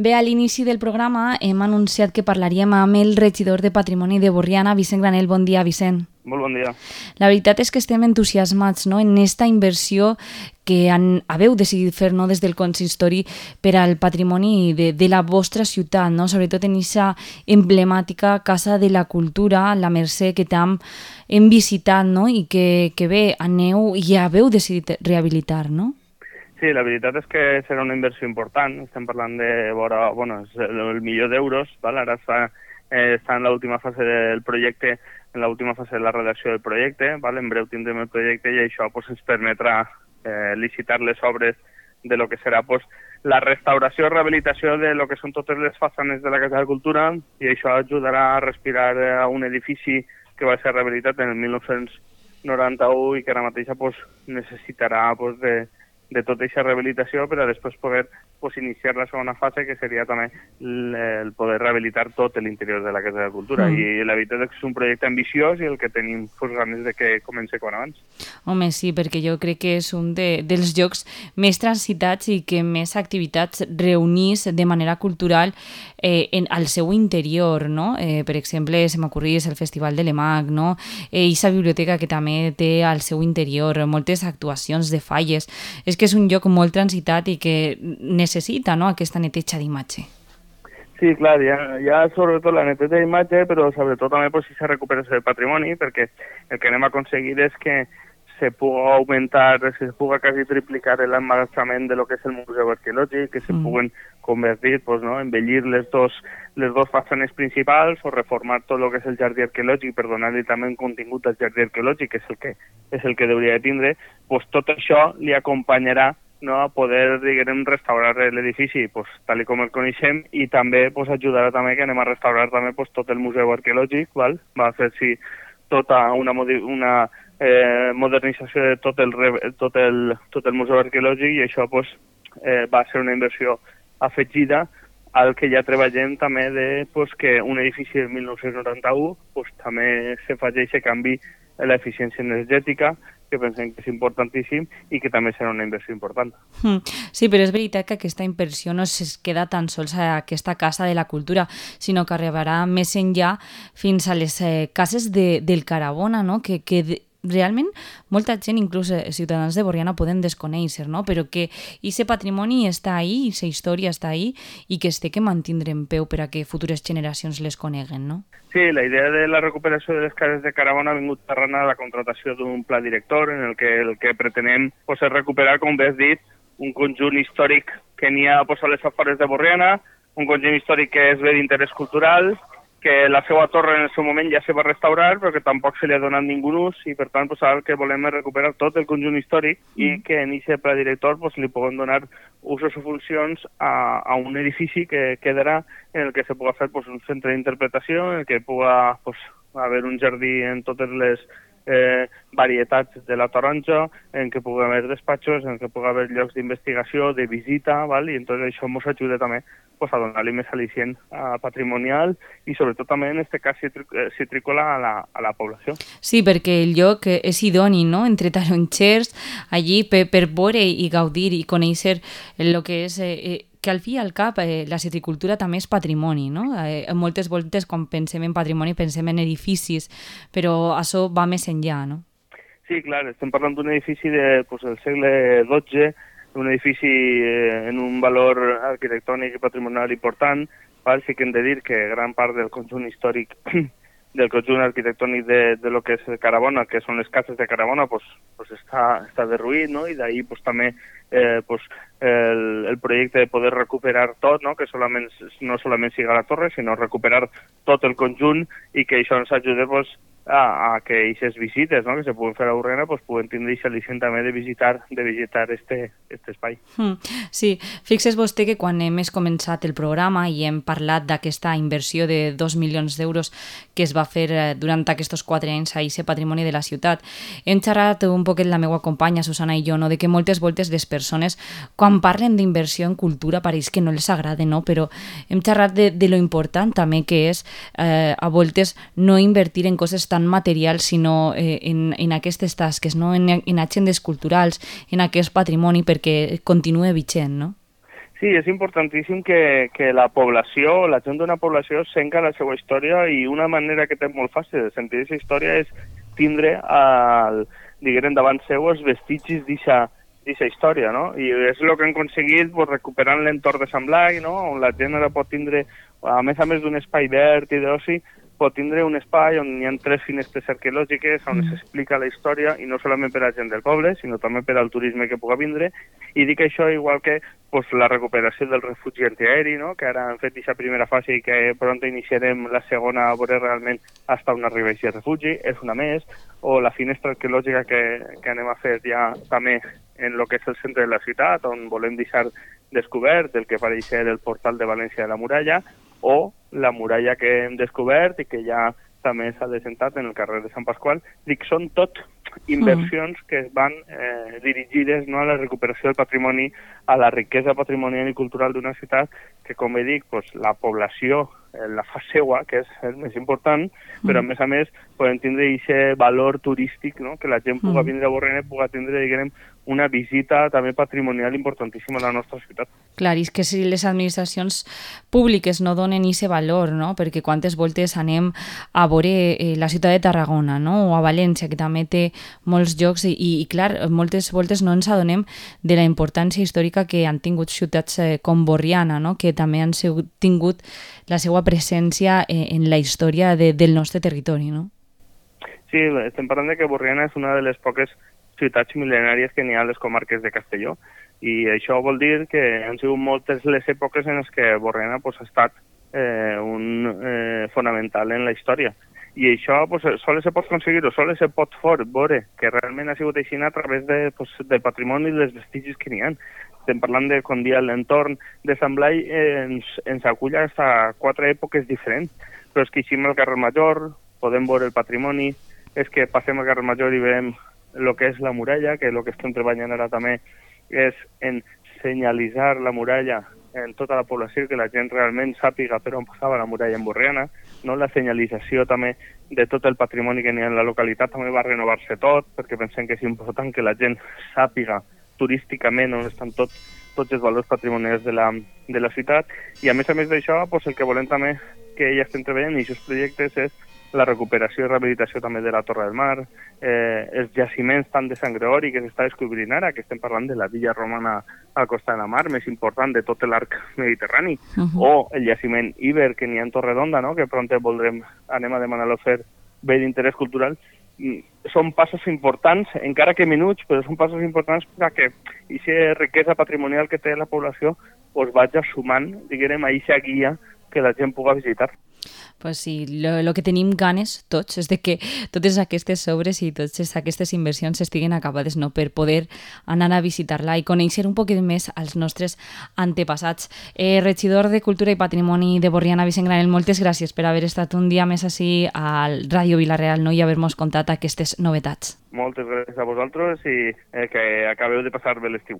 Bé, a l'inici del programa hem anunciat que parlaríem amb el regidor de Patrimoni de Borriana, Vicent Granell. Bon dia, Vicent. Molt bon dia. La veritat és que estem entusiasmats, no?, en esta inversió que haveu decidit fer, no?, des del consistori per al patrimoni de la vostra ciutat, no?, sobretot en aquesta emblemàtica Casa de la Cultura, la Mercè, que tant hem visitat, no?, i que bé, aneu i haveu decidit rehabilitar, no? Sí, la veritat és que serà una inversió important. Estem parlant de vora, és el milió d'euros, val? Ara està en l'última fase del projecte, en l'última fase de la redacció del projecte, val? En breu tindrem el projecte i això ens permetrà licitar les obres de lo que serà la restauració i rehabilitació de lo que són totes les façanes de la Casa de la Cultura, i això ajudarà a respirar a un edifici que va ser rehabilitat en el 1991 i que ara mateix necessitarà de tota aquesta rehabilitació per a després poder iniciar la segona fase, que seria també el poder rehabilitar tot l'interior de la Casa de la Cultura. I la veritat és que és un projecte ambiciós i el que tenim ganes de que comenci com abans. Home, sí, perquè jo crec que és un dels llocs més transitats i que més activitats reunís de manera cultural al seu interior, no? Per exemple, se m'ocorrís el Festival de l'EMAC, no? I la biblioteca que també té al seu interior moltes actuacions de falles. És que és un lloc molt transitat i que necessita, no?, aquesta neteja d'imatge. Sí, clar, hi ha sobretot la neteja d'imatge, però sobretot també si se recupera el patrimoni, perquè el que anem a aconseguir és que se pugui augmentar, se pugui quasi triplicar l'emmagatzament de lo que és el museu arqueològic, que se puguen convertir, embellir les dos façanes principals o reformar tot el que és el jardí arqueològic per donar-li també un contingut al jardí arqueològic, que és el que hauria de tindre. Tot això li acompanyarà, no, a poder, diguem, restaurar l'edifici tal com el coneixem, i també ajudarà també que anem a restaurar també tot el museu arqueològic, val? Va fer-s'hi tota una modernització de tot el museu arqueològic, i això va ser una inversió afegida al que ja treballem també que un edifici del 1991 també se faci aquest canvi en l'eficiència energètica, que pensem que és importantíssim i que també serà una inversió important. Sí, però és veritat que aquesta inversió no es queda tan sols a aquesta Casa de la Cultura, sinó que arribarà més enllà fins a les cases del Carabona, no?, que realment molta gent, inclús ciutadans de Borriana, poden desconèixer, no?, però que aquest patrimoni està ahí, aquesta història està ahí, i que es té que mantindre en peu per a que futures generacions les coneguen, no? Sí, la idea de la recuperació de les cases de Carabona ha vingut arran a la contratació d'un pla director en el que pretenem és recuperar, com bé has dit, un conjunt històric que n'hi ha a les afores de Borriana, un conjunt històric que és bé d'interès cultural, que la seva torre en el seu moment ja se va restaurar, però que tampoc se li ha donat ningú ús, i per tant el que volem és recuperar tot el conjunt històric i que en aquest pla director li puguem donar usos o funcions a un edifici que quedarà en el que se pugui fer un centre d'interpretació, en el que pugui haver un jardí en totes les varietats de la taronja, en què pugui haver despatxos, en què pugui haver llocs d'investigació, de visita, val? I entonces això ens ajuda també a donar-li més al·licient patrimonial i sobretot també en aquest cas citrícola a la població. Sí, perquè el lloc és idoni, no?, entre taronxers, allí per veure i gaudir i conèixer el que és que al fi i al cap la citricultura també és patrimoni, no? Moltes voltes quan pensem en patrimoni pensem en edificis, però això va més enllà, no? Sí, clar, estem parlant d'un edifici del segle XII, un edifici en un valor arquitectònic i patrimonial important. Sí que hem de dir que gran part del conjunt històric del conjunt arquitectònic de lo que és Carabona, que són les cases de Carabona, està derruït, no? I d'ahir també el projecte de poder recuperar tot, no? Que no solament siga la torre, sinó recuperar tot el conjunt, i que això ens ajuda a que aquestes visites, no?, que se puguen fer a Borriana puguen tindre aquest al·licient també de visitar este espai. Sí, fixes vostè que quan hem començat el programa i hem parlat d'aquesta inversió de 2 milions d'euros que es va fer durant aquests 4 anys a aquest patrimoni de la ciutat, hem xerrat un poquet la meva companya Susana i jo, no?, de que moltes voltes les persones quan parlen d'inversió en cultura pareix que no els agrada, no?, però hem xerrat de lo important també que és a voltes no invertir en coses tan materials, sinó en aquestes tasques, no?, en agendes culturals, en aquest patrimoni perquè continua vigent, no? Sí, és importantíssim que la població, la gent d'una població senca la seva història i una manera que té molt fàcil de sentir aquesta història és tindre, diguem, davant seu els vestigis d'aquesta història, no? I és el que han aconseguit pues, recuperant l'entorn de Sant Blai, no? On la gent ara pot tindre, a més d'un espai verd i d'oci, pot tindre un espai on hi ha 3 finestres arqueològiques on s'explica la història i no solament per a la gent del poble, sinó també per al turisme que puga vindre. I dic això igual que pues, la recuperació del refugi antiaeri, no? Que ara han fet aquesta primera fase i que pront iniciarem la segona a veure realment hasta on arriba aquest refugi, és una més, o la finestra arqueològica que anem a fer ja també en el que és el centre de la ciutat, on volem deixar descobert el que pareix ser el portal de València de la Muralla, o la muralla que hem descobert i que ja també s'ha desentat en el carrer de Sant Pasqual. Dic, són tot inversions que es van dirigides no, a la recuperació del patrimoni, a la riquesa patrimonial i cultural d'una ciutat que, com he dit, pues, la població la fa seua, que és el més important, però a més podem tindre aquest valor turístic, no? Que la gent puga vindre a Borriana i puga tindre, diguem, una visita també patrimonial importantíssima a la nostra ciutat. Clar, i és que si les administracions públiques no donen aquest valor, no? Perquè quantes voltes anem a veure la ciutat de Tarragona, no? O a València, que també té molts llocs, i clar, moltes voltes no ens adonem de la importància històrica que han tingut ciutats com Borriana, no? Que també han tingut la seva presència en la història del nostre territori, no? Sí, estem parlant que Borriana és una de les poques ciutats mil·lenàries que n'hi ha a les comarques de Castelló, i això vol dir que han sigut moltes les èpoques en les que Borriana pues, ha estat fonamental en la història. I això pues, sols se pot aconseguir o sols se pot veure que realment ha sigut així a través del patrimoni i dels vestigis que n'hi ha. Estem parlant de com dia l'entorn de Sant Blai ens acull a 4 èpoques diferents, però és que eixim al carrer Major, podem veure el patrimoni, és que passem al carrer Major i veiem el que és la muralla, que el que estem treballant ara també és en senyalitzar la muralla en tota la població, que la gent realment sàpiga per on passava la muralla en Borriana, no? La senyalització també de tot el patrimoni que n'hi ha en la localitat també va renovar-se tot, perquè pensem que és important que la gent sàpiga turísticament on estan tots els valors patrimonials de la ciutat, i a més d'això, pues, el que volem també que ja estem treballant en aquests projectes és la recuperació i rehabilitació també de la Torre del Mar, els jaciments tant de Sant Gregori que s'està descobrint ara, que estem parlant de la villa romana al costat de la mar, més important de tot l'arc mediterrani, o el jaciment Iber que n'hi ha en Torredonda, no? Que pront anem a demanar-lo fer bé d'interès cultural. Són passos importants, encara que minuts, però són passos importants perquè aquesta riquesa patrimonial que té la població pues, vagi sumant, diguem, a aquesta guia que la gent puga visitar. Pues sí, lo que tenim ganes tots és de que totes aquestes obres i totes aquestes inversions estiguen acabades, no? Per poder anar a visitar-la i conèixer un poquet més als nostres antepassats. Regidor de Cultura i Patrimoni de Borriana, Vicent Granell, moltes gràcies per haver estat un dia més així al Ràdio Vila-real, no? I haver-nos contat aquestes novetats. Moltes gràcies a vosaltres i que acabeu de passar bé l'estiu.